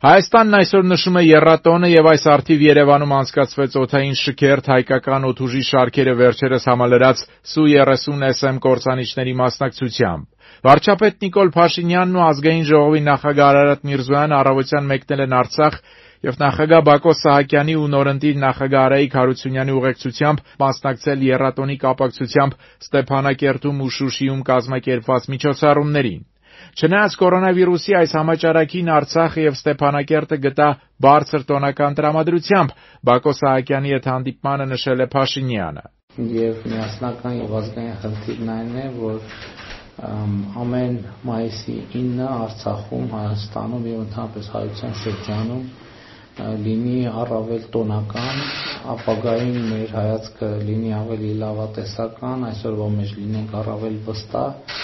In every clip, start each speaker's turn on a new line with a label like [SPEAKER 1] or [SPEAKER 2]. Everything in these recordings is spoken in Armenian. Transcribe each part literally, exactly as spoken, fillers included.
[SPEAKER 1] Հայաստանն այսօր նշում է եռատոնը եւ այս առթիվ Երևանում անցկացվեց օդային շքերթ հայկական օդուժի շարքերը վերջերս համալրած Սու երեսուն Էս Էմ կործանիչների մասնակցությամբ։ Վարչապետ Նիկոլ Փաշինյանն ու Ազգային ժողովի նախագահ Արարատ Միրզոյանը առավոտյան մեկնել են Արցախ եւ նախագահ Բակո Սահակյանի ու նորընտիր նախագահ Արայիկ Հարությունյանի ուղեկցությամբ մասնակցել եռատոնի կապակցությամբ Ստեփանակերտում ու Շուշիում կազմակերպված միջոցառումներին։ Չնայած կորոնավիրուսի այս համաճարակին Արցախը եւ Ստեփանակերտը գտա բարձր տոնական տրամադրությամբ, Բակո Սահակյանի հետ հանդիպմանը նշել է Փաշինյանը։
[SPEAKER 2] Եվ միասնական եւ ազգային խնդիրն այն է, որ ամեն մայիսի ինը Արցախում, Հայաստանում եւ ընդհանրապես հայության շրջանում լինի առավել տոնական, ապագային մեր հայացքը լինի ավելի լավատեսական, այսօրվա մեջ լինենք առավել վստահ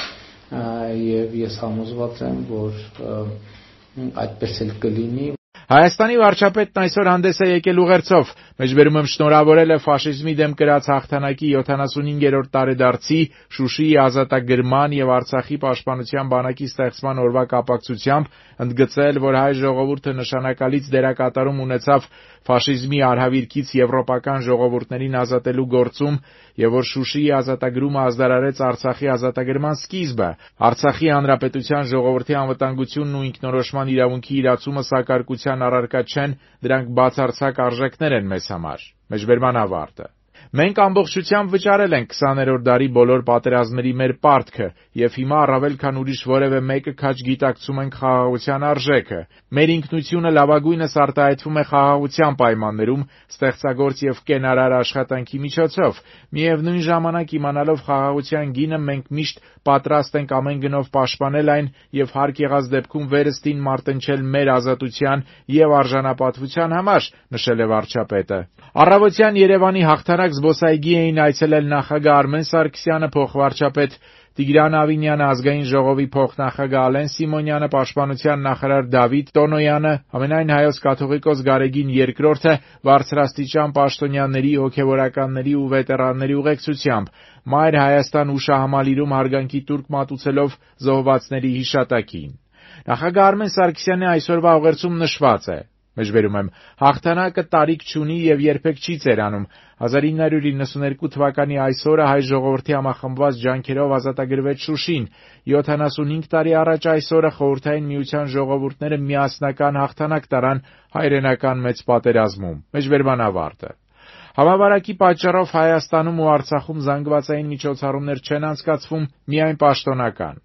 [SPEAKER 2] եւ ես համոզված եմ, որ այդպես էլ կլինի։
[SPEAKER 1] Հայաստանի վարչապետն այսօր հանդես է եկել ուղերձով, մեջբերում եմ շնորհավորել է ֆաշիզմի դեմ կրած հաղթանակի յոթանասունհինգերորդ տարեդարձի, Շուշիի ազատագրման եւ Արցախի պաշտպանության բանակի ստեղծման օրվա կապակցությամբ, ընդգծել, որ հայ ժողովուրդը նշանակալից դերակատարում ունեցավ ֆաշիզմի արհավիրքից եվրոպական ժողովուրդներին ազատելու գործում եւ որ Շուշիի ազատագրումը ազդարարեց Արցախի ազատագրման սկիզբը, Արցախի հանրապետության ժողովրդի անվտանգությունն ու ինքնորոշման իրավունքի իրացումը սակարկության առարկա չեն, դրանք բացարձակ արժեքներ են մեզ համար։ Մեջբերման ավարտը։ Մենք ամբողջությամբ վճարել ենք քսաներորդ դարի բոլոր պատերազմների մեր պարտքը եւ հիմա առավել քան ուրիշ որևէ մեկը քաջ գիտակցում ենք խաղաղության արժեքը։ Մեր ինքնությունը լավագույնս արտահայտվում է խաղաղության պայմաններում, ստեղծագործ եւ կենարար աշխատանքի միջոցով։ Միևնույն ժամանակ իմանալով խաղաղության գինը մենք միշտ պատրաստ ենք ամեն գնով պաշտպանել այն եւ հարկ եղած դեպքում վերստին մարտնչել մեր ազատության եւ արժանապատվության համար, նշել է վարչապետը։ Առավոտյան Երևանի հաղթանակ զբոսայգի էին այցելել նախագահ Արմեն Սարգսյանը, փոխվարչապետ Տիգրան Ավինյանը, Ազգային ժողովի փոխնախագահ Ալեն Սիմոնյանը, Պաշտպանության նախարար Դավիթ Տոնոյանը, ամենայն հայոց կաթողիկոս Գարեգին երկրորդը, բարձրաստիճան պաշտոնյաների, հոգևորականների ու վետերանների ուղեկցությամբ, Մայր Հայաստան հուշահամալիրում հարգանքի տուրք մատուցելով զոհվածների հիշատակին։ Նախագահ Արմեն Սարգսյանի այսօրվա ուղերձում նշված է. Մեջբերում եմ, հաղթանակը տարիք չունի եւ երբեք չի ծերանում։ հազար ինը հարյուր իննսունհինգ թվականի այսօրը հայ ժողովրդի համախմբված ջանքերով ազատագրվեց Շուշին։ յոթանասունհինգ տարի առաջ այսօրը Խորհրդային Միության ժողովուրդները միասնական հաղթանակ տարան հայրենական մեծ պատերազմում։ Մեջբերման ավարտը։ Համավարակի պատճառով Հայաստանում ու Արցախում զանգվածային միջոցառումներ չեն անցկացվում, միայն պաշտոնական։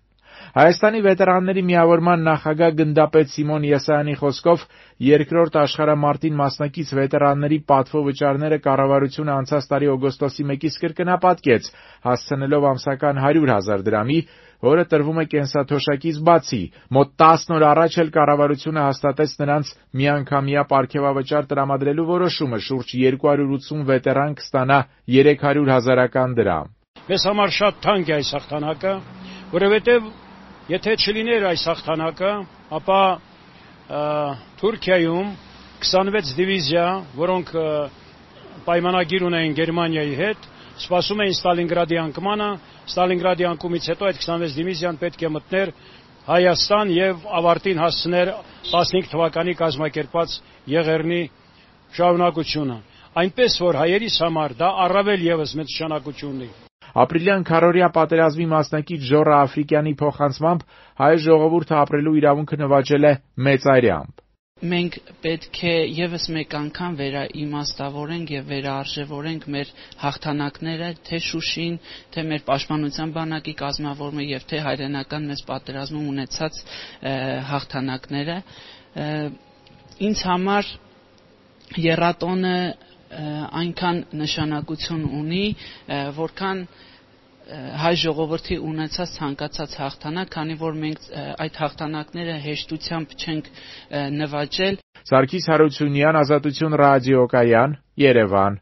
[SPEAKER 1] Հայաստանի վետերանների միավորման նախագահ գնդապետ Սիմոն Եսայանի խոսքով երկրորդ աշխարհամարտին մասնակից վետերանների պատվո վճարները կառավարությունը անցած տարի օգոստոսի մեկից կրկնապատկեց, հասցնելով ամսական հարյուր հազար դրամի, որը տրվում է կենսաթոշակից բացի։ Մոտ տասն օր առաջ էլ կառավարությունը հաստատեց նրանց միանգամյա պարգևավճար տրամադրելու որոշումը, շուրջ երկու հարյուր ութսուն վետերան կստանա երեք հարյուր հազարական դրամ։
[SPEAKER 3] Մեզ համար շատ թանկ է այս հաղթանակը, որովհետև եթե չլիներ այս հաղթանակը, ապա Թուրքիայում քսանվեց դիվիզիա, որոնք պայմանագիր ունեին Գերմանիայի հետ, սպասում էին Ստալինգրադի անկմանը, Ստալինգրադի անկումից հետո այդ քսանվեց դիվիզիան պետք է մտներ Հայաստան եւ ավարտին հասցներ տասնհինգ թվականի կազմակերպած Եղեռնի շարունակությունը։ Այնպես որ հայերիս համար դա առավել եւս մեծ նշանակություն ունի։
[SPEAKER 1] Ապրիլյան քառօրյա պատերազմի մասնակից Ժոռա Աֆրիկյանի փոխանցմամբ հայ ժողովուրդը ապրելու իրավունքը նվաճել է մեծարյամբ։
[SPEAKER 4] Մենք պետք է եւս մեկ անգամ վերաիմաստավորենք եւ վերարժևորենք մեր հաղթանակները, թե Շուշին, թե մեր պաշտպանության բանակի կազմավորումը եւ թե հայրենական մեծ պատերազմում ունեցած հաղթանակները։ Ինձ համար եռատոնը այնքան նշանակություն ունի, որքան հայ ժողովրդի ունեցած ցանկացած հաղթանակ, քանի որ մենք այդ հաղթանակները հեշտությամբ չենք նվաճել։
[SPEAKER 1] Սարգիս Հարությունյան, Ազատություն ռադիոկայան, Երևան։